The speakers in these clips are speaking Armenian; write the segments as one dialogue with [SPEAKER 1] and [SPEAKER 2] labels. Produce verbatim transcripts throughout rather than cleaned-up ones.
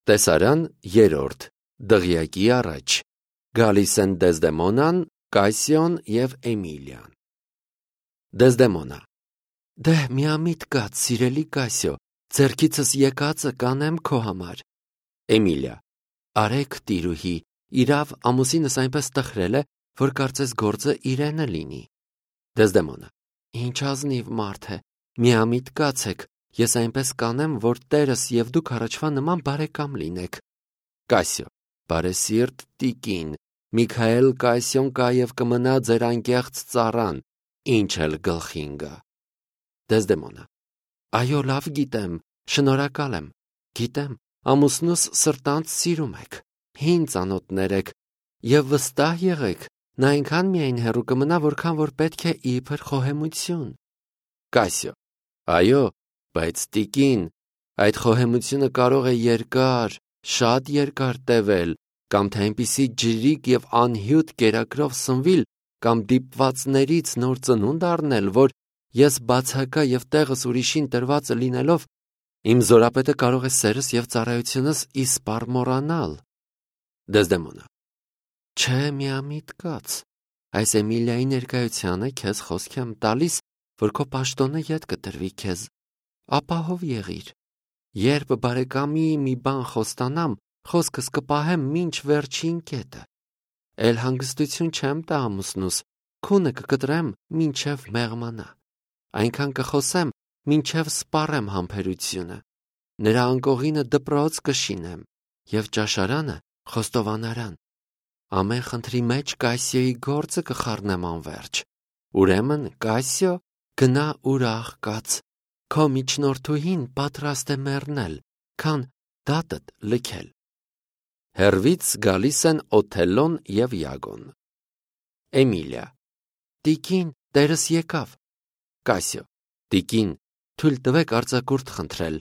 [SPEAKER 1] Տեսարան երրորդ, դղյակի առաջ, գալիս են Դեզդեմոնան, Կասիոն և Էմիլիան։ Դեզդեմոնա. Դե միամիտ կաց, սիրելի Կասիո, ձեռքիցս եկածը կանեմ քո համար։ Էմիլիա. Արեք տիրուհի, իրավ ամուսինս այնպես տխրել է, որ կարծես գործը իրենը լինի։ Դեզդեմոնա. Ինչ ազնիվ մարդ է, միամիտ կացեք, ես այնպես կանեմ, որ տերս և դուք առաջվա նման բարեկամ լինեք։ Կասիո. Բարեսիրտ տիկին, Միքայել Կասիոն կա և կմնա ձեր անկեղծ ծառան, ինչ էլ գլխին գա։ Դեզդեմոնա. Այո, լավ գիտեմ, շնորհակալ եմ, գիտեմ, ամուսնուս սրտանց սիրում եք, հին ծանոթներ եք, և վստահ եղեք, նա այնքան միայն հեռու կմնա, որքան որ պետք է իբր խոհեմություն։ Կասիո. Այո, բայց տիկին, այդ խոհեմությունը կարող է երկար, շատ երկար տևել, կամ թե այնպիսի ջրիկ և անհյուտ կերակրով սնվիլ, կամ դիպվածներից նոր ծնունդ առնել, որ ես բացակա և տեղս ուրիշին տրվածը լինելով, իմ զորապետը կարող է սերս և ծառայությունս իսպառ մոռանալ։ Դեզդեմոնա. Չէ, միամիտ կաց, այս Էմիլիայի ներկայությանը քեզ խոսք եմ տալիս, որ քո պաշտոնը ետ կտրվի քեզ, ապահով եղիր, երբ բարեկամի մի բան խոստանամ, խոսքս կպահեմ մինչ վերջին կետը, էլ հանգստություն չեմ տա ամուսնուս, քունը կկտրեմ մինչև մեղմանա, այնքան կխոսեմ, մինչև սպառեմ համբերությունը, նրա անկողինը դպրոց կշինեմ և ճաշարանը խոստովանարան, ամեն խնդրի մեջ Կասիոյի գործը կխառնեմ անվերջ, ուրեմն Կասիո, գնա ուրախ կաց, քո միջնորդուհին պատրաստ է մեռնել, քան դատդ լքել։ Հեռվից գալիս են Օթելլոն և Յագոն։ Էմիլիա. Տիկին, տերս եկավ։ Կասիո. Տիկին, թույլ տվեք արձակուրդ խնդրել։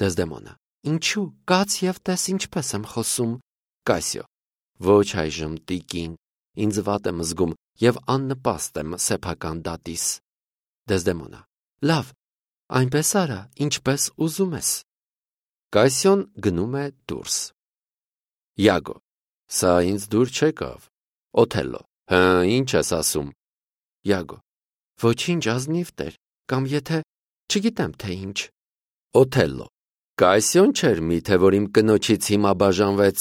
[SPEAKER 1] Դեզդեմոնա. Ինչու, կաց և տես ինչպես եմ խոսում։ Կասիո. Ոչ այժմ, տիկին, ինձ վատ եմ զգում և աննպաստ եմ սեփական դատիս։ Դեզդեմոնա. Լավ, այնպես արա, ինչպես ուզում ես։ Կասիոն գնում է դուրս։ Յագո. Սա ինձ դուր չեկավ։ Օթելլո. Հը, ինչ ես ասում։ Յագո. Ոչինչ, ազնիվ տեր, կամ եթե չգիտեմ թե ինչ։ Օթելլո. Կասիոն չէր միթե, որ իմ կնոջից հիմա բաժանվեց։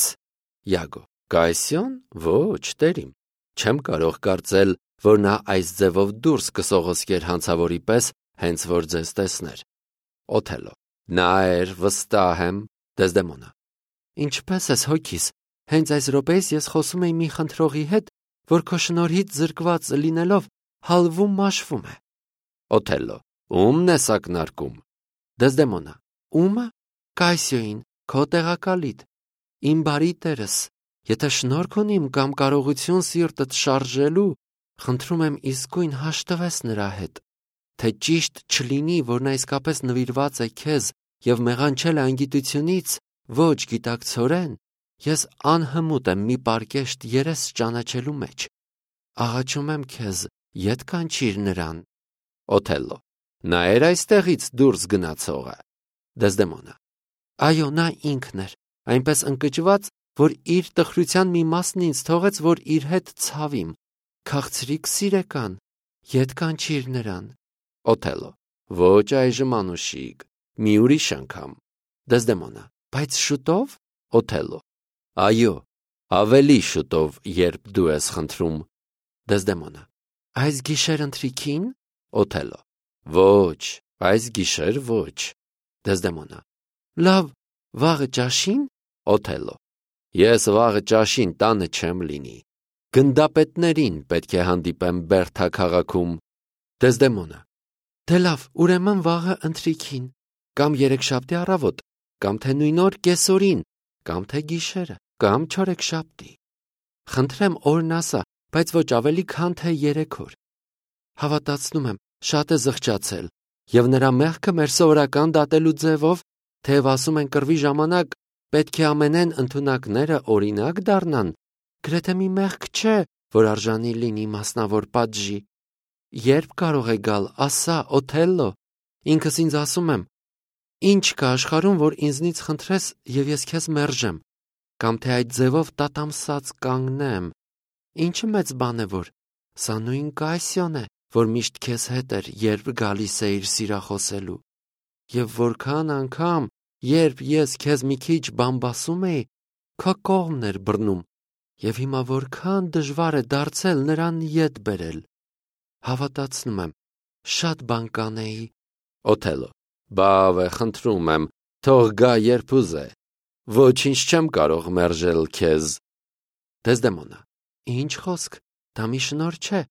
[SPEAKER 1] Յագո. Կասիոն, ոչ, տերիմ, չեմ կարող կարծել, որ նա այս ձևով դուրս կսողոսկեր հանցավորի պես, հենց որ ձեզ տեսներ։ Օթելլո. Նա էր, վստահ եմ։ Դեզդեմոնա. Ինչպես ես հոգիս, հենց այս րոպեիս ես խոսում էի մի խնդրողի հետ, որ քո շնորհիդ զրկված լինելով հալվում մաշվում է։ Օթելլո. Ում-ն ես ակնարկում։ Դեզդեմոնա. Ումը։ Կասիոյին, քո տեղակալիդ, իմ բարի տերս, եթե շնորհք ունիմ կամ կարողություն սիրտդ շարժելու, խնդրում եմ իսկույն հաշտվես նրա հետ, թե ճիշտ չլինի, որ նա իսկապես նվիրված է քեզ և մեղանչել է անգիտությունից, ոչ գիտակցորեն, ես անհմուտ եմ մի պարկեշտ երես ճանաչելու մեջ, աղաչում եմ քեզ, ետ կանչիր նրան։ Օթելլո. Նա էր այստեղից դուրս գնացողը։ Դեզդեմոնա. Այո, նա ինքն էր, այնպես ընկճված, որ իր տխրության մի մասն ինձ թողեց, որ իր հետ ցավիմ, քաղցրիկ սիրեկան, ետ կանչիր նրան։ Օթելլո. Ոչ այժմ անուշիկ, մի ուրիշ անգամ։ Դեզդեմոնա. Բայց շուտով։ Օթելլո. Այո, ավելի շուտով, երբ դու ես խնդրում։ Դեզդեմոնա. Այս գիշեր ընթրիքին։ Օթելլո. Ոչ, այս գիշեր ոչ։ Դեզդեմոնա. Լավ, վաղը ճաշին։ Օթելլո. Ես վաղը ճաշին տանը չեմ լինի։ Գնդապետներին պետք է հանդիպեմ Բերթա քաղաքում։ Դեզդեմոնա. Դե լավ, ուրեմն վաղը ընթրիքին, կամ երեքշաբթի առավոտ, կամ թե նույն օր կեսօրին, կամ թե գիշերը, կամ չորեքշաբթի։ Խնդրեմ օրն ասա, բայց ոչ ավելի քան թե երեք օր։ Հավատացնում եմ, շատ է զղջացել, և նրա մեղքը մեր սովորական դատելու ձևով, թեև ասում են կռվի ժամանակ պետք է ամենեն ընդունակները օրինակ դառնան, գրեթե մի մեղք չէ, որ արժանի լինի մասնավոր պատժի։ Երբ կարող է գալ, ասա, Օթելլո, ինքս ինձ ասում եմ, Ինչ կա աշխարհում, որ ինձնից խնդրես եւ ես քեզ մերժեմ, կամ թե այդ ձևով տատամսած կանգնեմ։ Ինչը մեծ բան է, որ սա նույն Կասիոն է, որ միշտ քեզ հետ էր, երբ գալիս էիր սիրախոսելու։ Եվ որքան անգամ, երբ ես քեզ մի քիչ բամբասում էի, քո կողմն էր բռնում, եւ հիմա որքան դժվար է դարձել նրան ետ բերել։ Հավատացնում եմ, շատ բան կանեի։
[SPEAKER 2] Օթելո. Բավ է, խնդրում եմ, թող գա երբ ուզե։ Ոչինչ չեմ կարող մերժել քեզ։
[SPEAKER 1] Դեզդեմոնա. Ինչ խոսք, դա մի շնորհ չէ։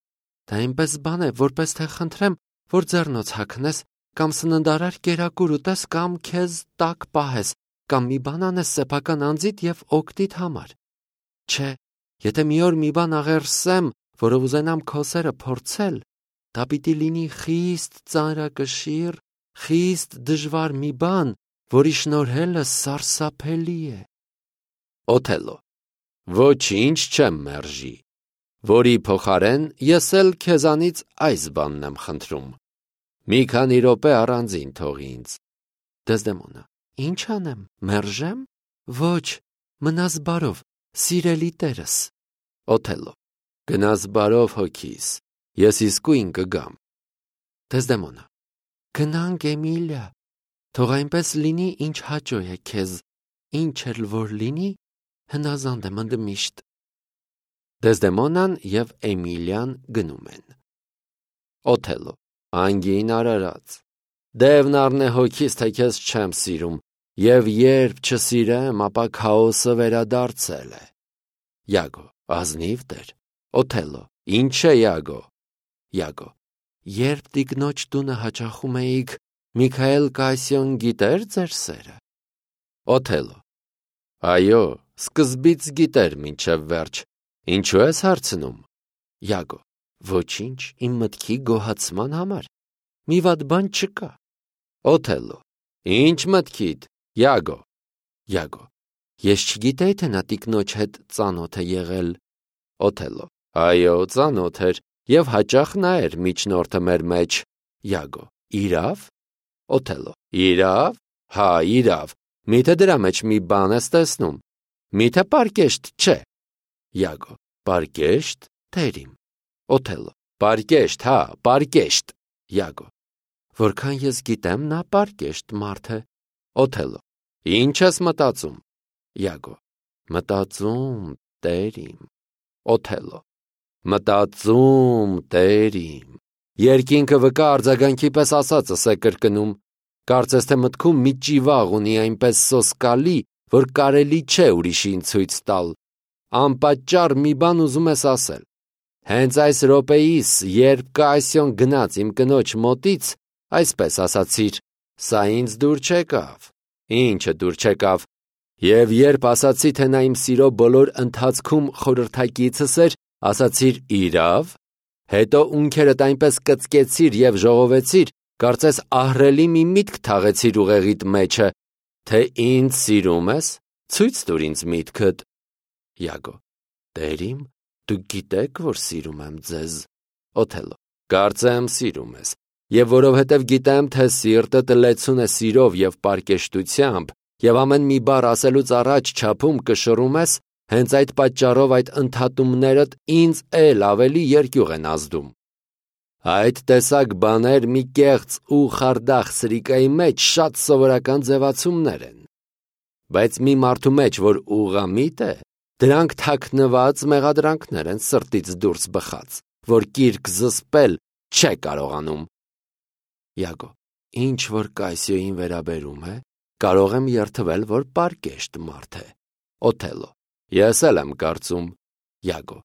[SPEAKER 1] Դա այնպես բան է, որպես թե խնդրեմ, որ ձեռնոց հագնես, կամ սննդարար կերակուր ուտես, կամ քեզ տակ պահես, կամ մի բան անես սեփական անձիդ եւ օգտիդ համար։ Չէ, եթե մի օր մի բան աղերսեմ, որով ուզենամ քո սերը փորձել, դա պիտի լինի խիստ ծանրակշիռ, խիստ դժվար մի բան, որի շնորհելը սարսափելի է։
[SPEAKER 2] Օթելո. Ոչինչ չեմ մերժի, որի փոխարեն ես էլ քեզանից այս բանն եմ խնդրում։ Մի քանի րոպե առանձին թող ինձ։
[SPEAKER 1] Դեզդեմոնա. Ինչ անեմ, մերժեմ։ Ոչ, մնաս բարով, սիրելի տերս։
[SPEAKER 2] Օթելո. Գնաս բարով հոգիս, ես իսկույն կգամ։
[SPEAKER 1] Դեզդեմոնա. Գնանք, Էմիլիա, թող այնպես լինի, ինչ հաճո է քեզ, ինչ էլ որ լինի, հնազանդ եմ ընդմիշտ։
[SPEAKER 2] Դեզդեմոնան եւ Էմիլիան գնում են։ Օթելո. Անգին արարած, դևն առնե հոգիս, թե քեզ չեմ սիրում, եւ երբ չսիրեմ, ապա քաոսը վերադարձել է։ Յագո. Ազնիվ տեր։ Օթելո. Ինչ է Յագո։ Յագո.
[SPEAKER 1] Երբ տիկնոջ տունը հաճախում էիք, Միքայել Կասիոն գիտեր ձեր սերը։
[SPEAKER 2] Օթելո. Այո, սկզբից գիտեր մինչև վերջ։ Ինչու ես հարցնում։
[SPEAKER 1] Յագո. Ոչինչ, իմ մտքի գոհացման համար։ Մի վատ բան չկա։
[SPEAKER 2] Օթելո. Ինչ մտքիդ, Յագո։
[SPEAKER 1] Յագո. Ես չգիտեի, թե նա տիկնոջ հետ ծանոթ է եղել։
[SPEAKER 2] Օթելո. Այո, ծանոթ էր, եւ հաճախ նա էր միջնորդը մեր մեջ։
[SPEAKER 1] Յագո. Իրավ։
[SPEAKER 2] Օթելո. Իրավ։ Հա, իրավ։ Միթե դրա մեջ մի բան ես տեսնում։ Միթե պարկեշտ չէ։
[SPEAKER 1] Յագո. Պարկեշտ, տերիմ։
[SPEAKER 2] Օթելո. Պարկեշտ, հա, պարկեշտ։
[SPEAKER 1] Յագո. Որքան ես գիտեմ, նա պարկեշտ մարդ է։
[SPEAKER 2] Օթելո. Ինչ ես մտածում։
[SPEAKER 1] Յագո. Մտածում, տերիմ։
[SPEAKER 2] Օթելո. Մտածում, տերիմ։ Երկինքը վկա արձագանքի պես ասածս է կրկնում։ Կարծես թե մտքում մի ճիվաղ ունի այնպես սոսկալի, որ կարելի չէ ուրիշին ցույց տալ։ Անպատճառ մի բան ուզում ես ասել։ Հենց այս րոպեիս, երբ Կասիոն գնաց իմ կնոջ մոտից, այսպես ասացիր. սա ինձ դուր չեկավ։ Ինչը դուր չեկավ։ Եվ երբ ասացի, թե նա իմ սիրո բոլոր ընթացքում խորհրդակիցս էր, ասացիր իրավ, հետո ունքերդ այնպես կծկեցիր եւ ժողովեցիր, կարծես ահռելի մի միտք թաղեցիր ուղեղիդ մեջը, թե ինձ սիրում ես, ցույց տուր ինձ միտքդ։
[SPEAKER 1] Յագո. Տերիմ, դուք գիտեք, որ սիրում եմ ձեզ։
[SPEAKER 2] Օթելո. Կարծեմ սիրում ես, եւ որովհետեւ գիտեմ, թե սիրտդ լեցուն է սիրով եւ պարկեշտությամբ, եւ ամեն մի բառ ասելուց առաջ չափում կշռում ես, հենց այդ պատճառով այդ ընդհատումներդ ինձ էլ ավելի երկյուղ են ազդում։ Այդ տեսակ բաներ մի կեղծ ու խարդախ սրիկայի մեջ շատ սովորական ձևացումներ են։ Բայց մի մարդու մեջ, որ ուղղամիտ է, դրանք թաքնված մեղադրանքներ են սրտից դուրս բխած, որ կիրք զսպել չէ կարողանում։
[SPEAKER 1] Յագո. Ինչ որ Կասիոյին վերաբերում է, կարող եմ երթվել, որ պարկեշտ մարդ է։
[SPEAKER 2] Օթելո. Ես էլ եմ կարծում։
[SPEAKER 1] Յագո.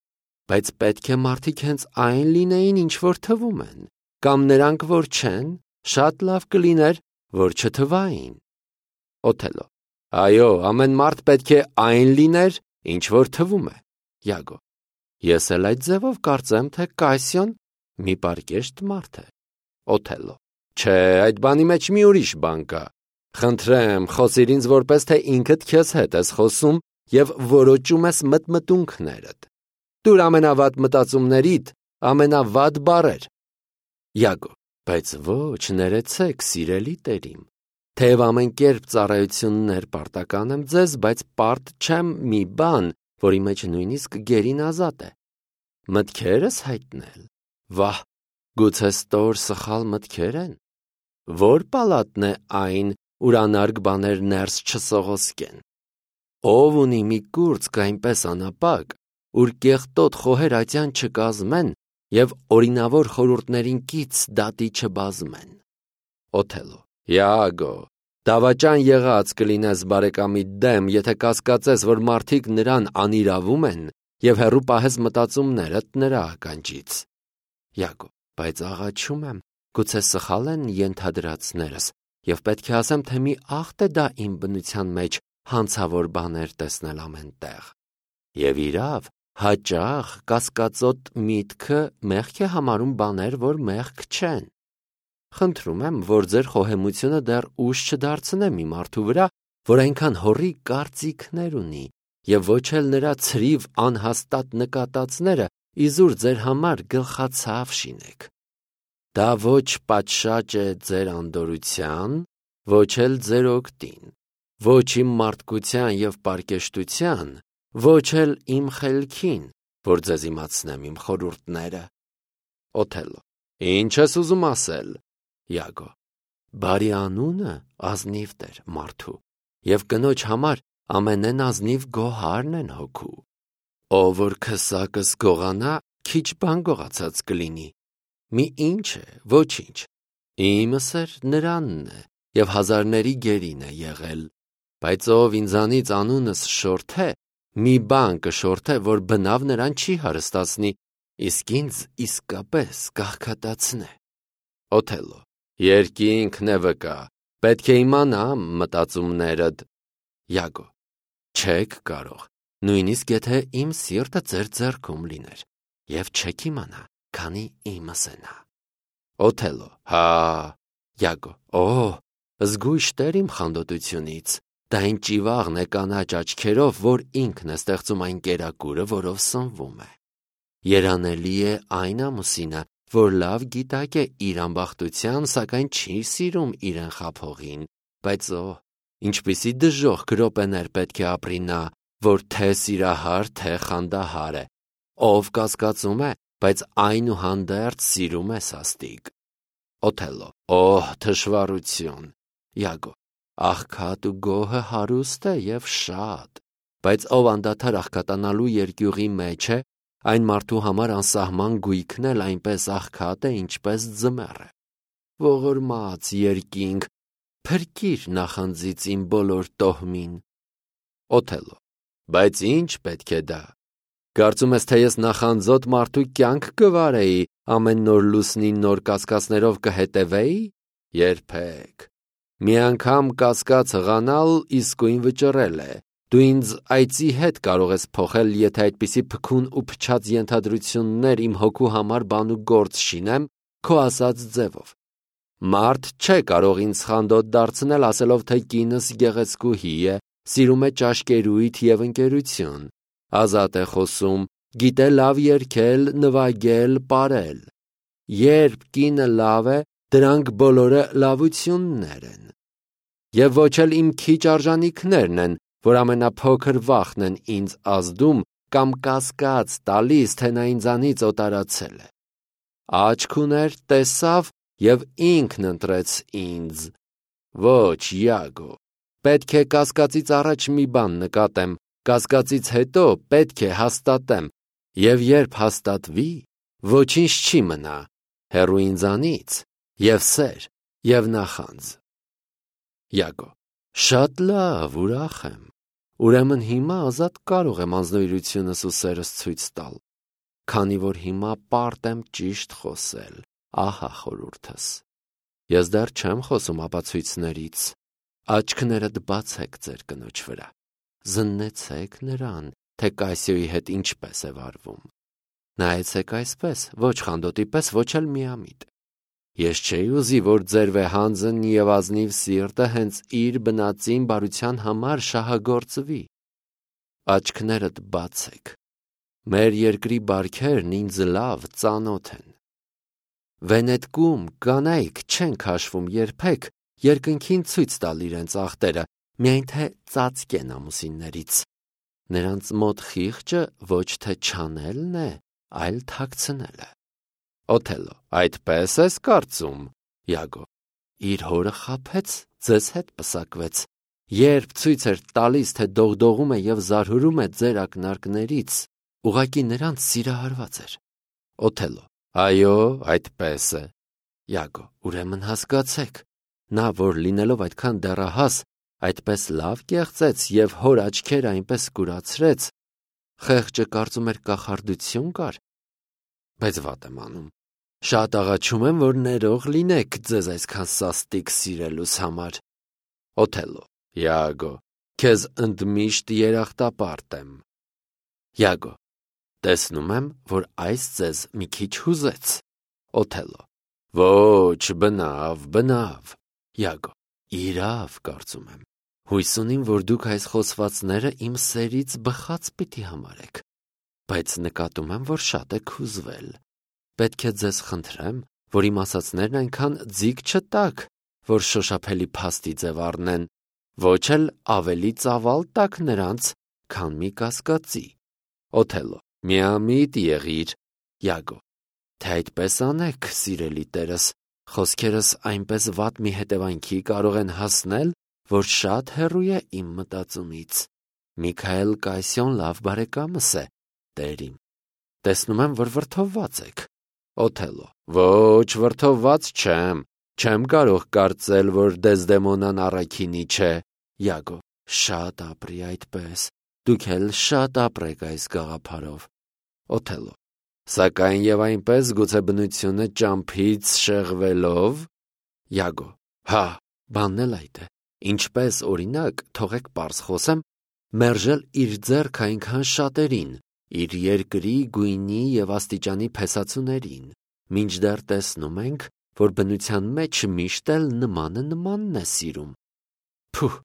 [SPEAKER 1] Բայց պետք է մարդիկ հենց այն լինեին, ինչ որ թվում են, կամ նրանք որ չեն, շատ լավ կլիներ, որ չթվային։
[SPEAKER 2] Օթելո. Այո, ամեն մարդ պետք է այն լիներ, ինչ որ թվում է։
[SPEAKER 1] Յագո. Ես էլ այդ ձևով կարծեմ, թե Կասիոն մի պարկեշտ մարդ է։
[SPEAKER 2] Օթելո. Չէ, այդ բանի մեջ մի ուրիշ բան կա։ Խնդրեմ, խոսիր ինձ որպես թե ինքդ քեզ հետ ես խոսում եւ որոճում ես մտմտունքներդ։ Դուր ամենավատ մտածումներիդ ամենավատ բառեր։
[SPEAKER 1] Յագո. Բայց ոչ, ներեցեք, սիրելի տերիմ։
[SPEAKER 2] Թեև ամեն կերպ ծառայություններ պարտական եմ ձեզ, բայց պարտ չեմ մի բան, որի մեջ նույնիսկ գերին ազատ է։ Մտքերս հայտնել։ Վահ, գուցե ստոր սխալ մտքեր են։ Որ պալատն է այն, ուր անարգ բաներ ներս չսողոսկեն։ Ով ունի մի կուրծք այնպես անապակ, ուր կեղտոտ խոհեր ատյան չկազմեն և օրինավոր խորհուրդներին կից դատի չբազմեն։ Օթելլո. Իագո, դավաճան եղած կլինես բարեկամիդ դեմ, եթե կասկածես, որ մարդիկ նրան անիրավում են և հեռու պահես մտածումներդ նրա ականջից։ Իագո, բայց աղաչում եմ, գուցե սխալ են ենթադրածներս, և պետք է ասեմ, թե մի ախտ է դա իմ բնության մեջ հանցավոր բաներ տեսնել ամեն տեղ։ Եվ իրավ, հաճախ կասկածոտ միտքը մեղք է համարում բաներ, որ մեղք չեն։ Խնդրում եմ, որ ձեր խոհեմությունը դեռ ուժ չդարձնե մի մարդու վրա, որ այնքան հոռի կարծիքներ ունի, և ոչ էլ նրա ցրիվ անհաստատ նկատածները իզուր ձեր համար գլխացավ շինեք։ Դա ոչ պատշաճ է ձեր անդորության, ոչ էլ ձեր օգտին, ոչ իմ մարդկության և պարկեշտության, ոչ էլ իմ խելքին, որ ձեզ իմացնեմ իմ խորհուրդները։ Օթելլո. Ինչ ես ուզում ասել։ Իագո. Բարի անունը ազնիվ դեր մարդու, և կնոջ համար ամենեն ազնիվ գոհարն են հոգու։ Ով որ քսակս գողանա, քիչ բան գողացած կլինի։ Մի ինչ է, ոչինչ։ Իմս էր նրանն է, և հազարների գերին է եղել, բայց ով ինձանից անունս շորթե, մի բան կշորթե, որ բնավ նրան չի հարստացնի, իսկ ինձ իսկապես կաղքատացնե։ Օթելլո. Երկինքն է վկա, պետք է իմանամ մտածումներդ։ Իագո. Չեք կարող, նույնիսկ եթե իմ սիրտը ձեր ձեռքում լիներ, և չեք իմանա, քանի իմս է նա։ Օթելլո. Հա։ Իագո. Օ, զգույշ տեր իմ խանդոտությունից, դա այն ճիվաղն է կանաչ աչքերով, որ ինքն է ստեղծում այն կերակուրը, որով սնվում է։ Երանելի է այն ամուսինը, որ լավ գիտակ է իր ամբախտության, սակայն չի սիրում իրեն խաբողին, բայց օ, ինչպիսի դժոխք րոպեներ պետք է ապրի նա, որ թե սիրահար, թե խանդահար է, ով կասկածում է, բայց այնուհանդերձ սիրում է սաստիկ։ Օթելլո. Օհ, թշվառություն։ Իագո. Աղքատ ու գոհը հարուստ է և շատ, բայց ով անդադար աղքատանալու երկյուղի մեջ է, այն մարդու համար անսահման գույքն էլ այնպես աղքատ է, ինչպես ձմեռ է։ Ողորմած երկինք, փրկիր նախանձից իմ բոլոր տոհմին։ Օթելլո. Բայց ինչ պետք է դա։ Կարծում ես, թե ես նախանձոտ մարդու կյանք կվարեի, ամեն նոր լուսնին նոր կասկածներով կհետևեի։ Երբեք։ Մի անգամ կասկած հղանալ իսկույն վճռել է։ Դու ինձ այծի հետ կարող ես փոխել, եթե այդպիսի փքուն ու փչած ենթադրություններ իմ հոգու համար բան ու գործ շինեմ քո ասած ձևով։ Մարդ չէ կարող ինձ խանդոտ դարձնել, ասելով, թե կինս գեղեցկուհի է, սիրում է ճաշկերույթ և ընկերություն, ազատ է խոսում, գիտե լավ երգել, նվագել, պարել։ Երբ կինը լավ է, դրանք բոլորը լավություններ են։ Եվ ոչ էլ իմ քիչ արժանիքներն են, որ ամենափոքր վախն են ինձ ազդում կամ կասկած տալիս, թե նա ինձանից օտարացել է։ Աչք ուներ, տեսավ և ինքն ընտրեց ինձ։ Ոչ, Իագո, պետք է կասկածից առաջ մի բան նկատեմ, կասկածից հետո պետք է հաստատեմ, և երբ հաստատվի, ոչինչ չի մնա, հեռու ինձանից, և սեր, և նախանձ։ Իագո. Շատ լավ, ուրախ եմ։ Ուրեմն հիմա ազատ կարող եմ անձնվիրությունս ու սերս ցույց տալ, քանի որ հիմա պարտ եմ ճիշտ խոսել, ահա խորհուրդս։ Ես դեռ չեմ խոսում ապացույցներից։ Աչքներդ բացեք ձեր կնոջ վրա, զննեցեք նրան, թե Կասիոյի հետ ինչպես է վարվում։ Նայեցեք այսպես, ոչ խանդոտի պես, ոչ էլ միամիտ։ Ես չէի ուզի, որ ձեր վեհանձն և ազնիվ սիրտը հենց իր բնածին բարության համար շահագործվի։ Աչքներդ բացեք։ Մեր երկրի բարքերն ինձ լավ ծանոթ են։ Վենետկում կանայք չեն քաշվում երբեք,
[SPEAKER 1] երկնքին ցույց տալ իրենց ախտերը, միայն թե ծածկեն ամուսիններից։ Նրանց մոտ խիղճը ոչ թե չանելն է, այլ թաքցնելը։ Օթելլո. Այդպես ես կարծում։ Յագո. Իր հորը խաբեց, ձեզ հետ պսակվեց։ Երբ ցույց էր տալիս, թե դողդողում է եւ զարհուրում է ձեր ակնարկներից, ուղղակի նրանց սիրահարված էր։ Օթելլո. Այո, այդպես է։ Յագո. Ուրեմն հասկացեք, նա, որ լինելով այդքան դեռահաս, այդպես լավ կեղծեց եւ հոր աչքերը այնպես կուրացրեց, խեղճը կարծում էր կախարդություն կար։ Բայց վատ եմ անում։ Շատ աղաչում եմ, որ ներող լինեք ձեզ այսքան սաստիկ սիրելուս համար։ Օթելլո. Յագո, քեզ ընդմիշտ երախտապարտ եմ։ Յագո. Տեսնում եմ, որ այս ձեզ մի քիչ հուզեց։ Օթելլո. Ոչ, բնավ, բնավ։ Յագո. Իրավ, կարծում եմ։ Հույս ունիմ, որ դուք այս խոսվածները իմ սերից բխած պիտի համարեք, բայց նկատում եմ, որ շատ եք հուզվել։ Պետք է ձեզ խնդրեմ, որ իմ ասածներն այնքան ձիգ չտաք, որ շոշափելի փաստի ձև առնեն, ոչ էլ ավելի ծավալ տաք նրանց, քան մի կասկածի։ Օթելլո. Միամիտ եղիր։ Յագո. Թե այդպես անեք, սիրելի տերս, խոսքերս այնպես վատ մի հետևանքի կարող են հասնել, որ շատ հեռու է իմ մտածումից։ Միքայել Կասիոն լավ բարեկամս է, տերիմ։ Տեսնում եմ, որ վրդովված եք։ Օթելլո. Ոչ, վրդովված չեմ։ Չեմ կարող կարծել, որ Դեզդեմոնան առաքինի չէ։ Յագո. Շատ ապրի այդպես։ Դուք էլ շատ ապրեք այս գաղափարով։ Օթելլո. Սակայն եւ այնպես գուցե բնությունը ճամփից շեղվելով։ Յագո. Հա, բանն էլ այդ է։ Ինչպես օրինակ, թողեք պարզ խոսեմ, մերժել իր ձեռքը այնքան շատերին, իր երկրի, գույնի եւ աստիճանի փեսացուներին, մինչդեռ տեսնում ենք, որ բնության մեջ միշտ էլ նմանը նմանն է սիրում։ Փուհ,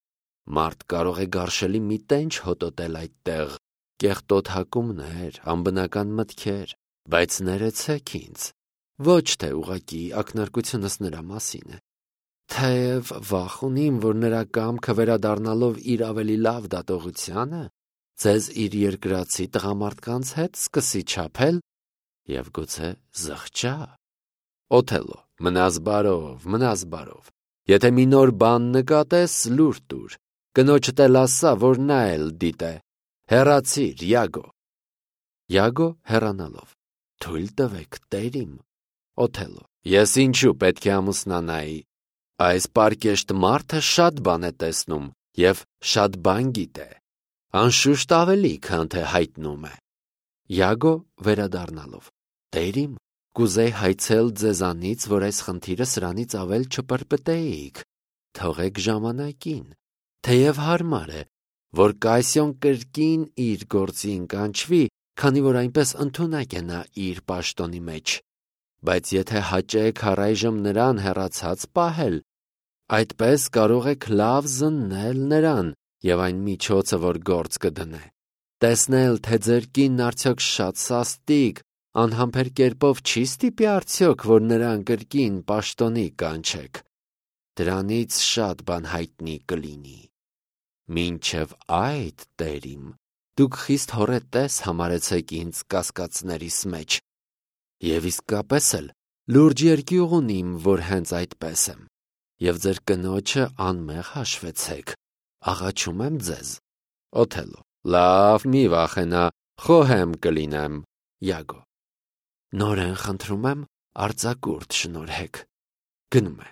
[SPEAKER 1] մարդ կարող է գարշելի մի տենչ հոտոտել այդտեղ, կեղտոտ հակումներ, անբնական մտքեր, բայց ներեցեք ինձ, ոչ թե ուղղակի ակնարկությունս նրա մասին է։ Թեև վախ ունիմ, որ նրա կամքը վերադառնալով իր ավելի լավ դատողությանը, ձեզ իր երկրացի տղամարդկանց հետ սկսի չափել եւ գուցե զղջա։ Օթելլո. Մնաս բարով, մնաս բարով։ Եթե մի նոր բան նկատես, լուր տուր։ Կնոջդ էլ ասա, որ նա էլ դիտե։ Հեռացիր, Յագո։ Յագո հեռանալով. Թույլ տվեք, տերիմ։ Օթելլո. Ես ինչու պետք է ամուսնանայի։ Այս պարկեշտ մարդը շատ բան է տեսնում եւ շատ բան գիտե։ Անշուշտ ավելի, քան թե հայտնում է։ Յագո վերադառնալով. Տերիմ, կուզեի հայցել ձեզանից, որ այս խնդիրը սրանից ավել չպրպտեիք։ Թողեք ժամանակին։ Թեև հարմար է, որ Կասիոն կրկին իր գործին կանչվի, քանի որ այնպես ընդունակ է նա իր պաշտոնի մեջ։ Բայց եթե հաճեք առայժմ նրան հեռացած պահել, այդպես կարող եք լավ զննել նրան եւ այն միջոցը, որ գործ կդնե։ Տեսնել, թե ձեր կինն արդյոք շատ սաստիկ, անհամբեր կերպով չի ստիպի արդյոք, որ նրան կրկին պաշտոնի կանչեք։ Դրանից շատ բան հայտնի կլինի։ Մինչև այդ, տերիմ, դուք խիստ հոռետես համարեցեք ինձ կասկածներիս մեջ։ Եվ իսկապես էլ լուրջ երկյուղ ունիմ, որ հենց այդպես եմ։ Եվ ձեր կնոջը անմեղ հաշվեցեք։ Աղաչում եմ ձեզ։ Օթելլո. Լավ, մի վախենա, խոհեմ կլինեմ։ Յագո. Նորեն խնդրում եմ արձակուրդ շնորհեք։ Գնում է։